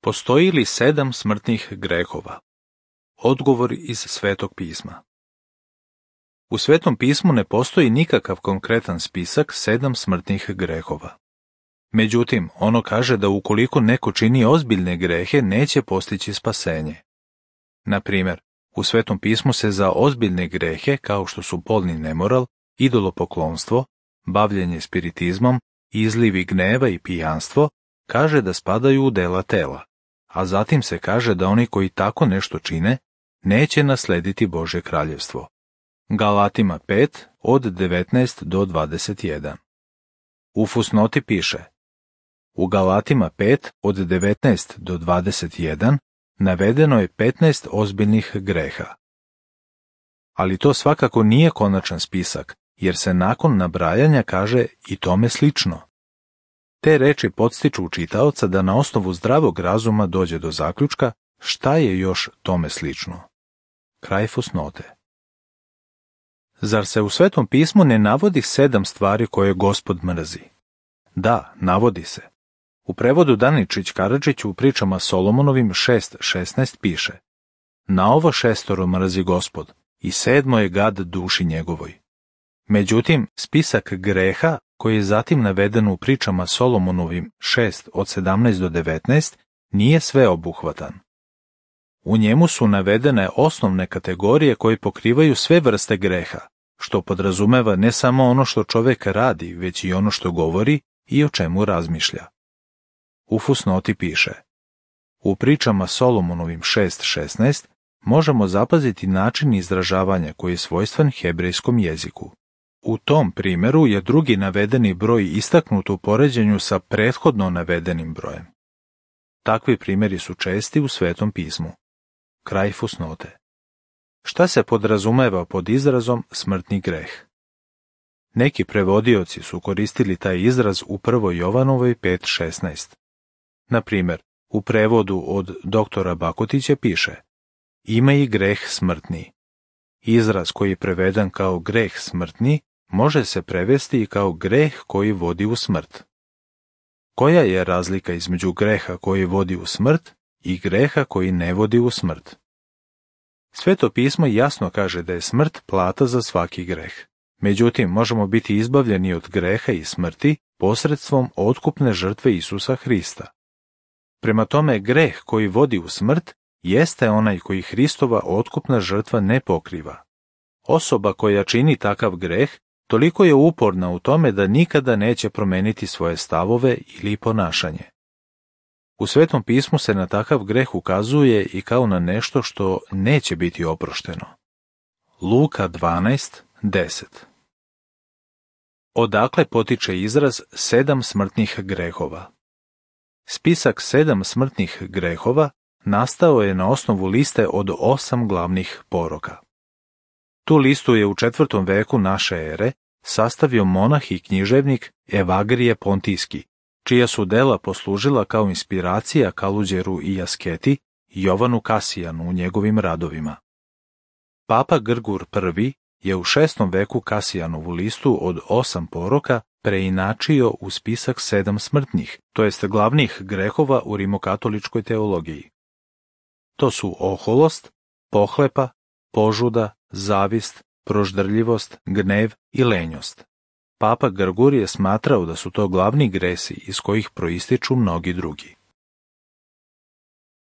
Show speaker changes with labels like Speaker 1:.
Speaker 1: Postoji li 7 smrtnih grehova? Odgovor iz Svetog pisma. U Svetom pismu ne postoji nikakav konkretan spisak 7 smrtnih grehova. Međutim, ono kaže da ukoliko neko čini ozbiljne grehe, neće postići spasenje. Na primjer, u Svetom pismu se za ozbiljne grehe, kao što su polni nemoral, idolopoklonstvo, bavljenje spiritizmom, izlivi gneva i pijanstvo, kaže da spadaju u dela tela, a zatim se kaže da oni koji tako nešto čine, neće naslediti Božje kraljevstvo. Galatima 5, od 19 do 21. U fusnoti piše: u Galatima 5, od 19 do 21, navedeno je 15 ozbiljnih greha. Ali to svakako nije konačan spisak, jer se nakon nabrajanja kaže i tome slično. Te reči podstiču čitaoca da na osnovu zdravog razuma dođe do zaključka šta je još tome slično. Kraj fusnote. Zar se u Svetom pismu ne navodi 7 stvari koje Gospod mrzi? Da, navodi se. U prevodu Daničić Karadžić u pričama Solomonovim 6.16 piše: na ovo 6 mrzi Gospod i 7 je gad duši njegovoj. Međutim, spisak greha koji je zatim naveden u pričama Solomonovim 6 od 17 do 19 nije sveobuhvatan. U njemu su navedene osnovne kategorije koje pokrivaju sve vrste greha, što podrazumeva ne samo ono što čovjek radi, već i ono što govori i o čemu razmišlja. U fusnoti piše: u pričama Solomonovim 6.16 možemo zapaziti način izražavanja koji je svojstven hebrejskom jeziku. U tom primjeru je drugi navedeni broj istaknut u poređenju sa prethodno navedenim brojem. Takvi primjeri su česti u Svetom pismu. Kraj fusnote. Šta se podrazumeva pod izrazom smrtni greh? Neki prevodioci su koristili taj izraz u 1. Jovanovoj 5.16. Na primjer, u prevodu od doktora Bakutića piše: ima i greh smrtni. Izraz koji je preveden kao greh smrtni može se prevesti i kao greh koji vodi u smrt. Koja je razlika između greha koji vodi u smrt i greha koji ne vodi u smrt? Sveto pismo jasno kaže da je smrt plata za svaki greh. Međutim, možemo biti izbavljeni od greha i smrti posredstvom otkupne žrtve Isusa Hrista. Prema tome, greh koji vodi u smrt jeste onaj koji Hristova otkupna žrtva ne pokriva. Osoba koja čini takav greh toliko je uporna u tome da nikada neće promeniti svoje stavove ili ponašanje. U Svetom pismu se na takav greh ukazuje i kao na nešto što neće biti oprošteno. Luka 12.10. Odakle potiče izraz 7 smrtnih grehova? Spisak 7 smrtnih grehova nastao je na osnovu liste od 8 glavnih poroka. Tu listu je u 4. veku naše ere sastavio monah i književnik Evagrije Pontijski, čija su dela poslužila kao inspiracija Kaluđeru i Asketi i Jovanu Kasijanu u njegovim radovima. Papa Grgur I je u 6. veku Kasijanovu listu od 8 poroka preinačio u spisak 7 smrtnih, to jest glavnih grehova u rimokatoličkoj teologiji. To su oholost, pohlepa, požuda, zavist, proždrljivost, gnev i lenjost. Papa Grgur je smatrao da su to glavni gresi iz kojih proističu mnogi drugi.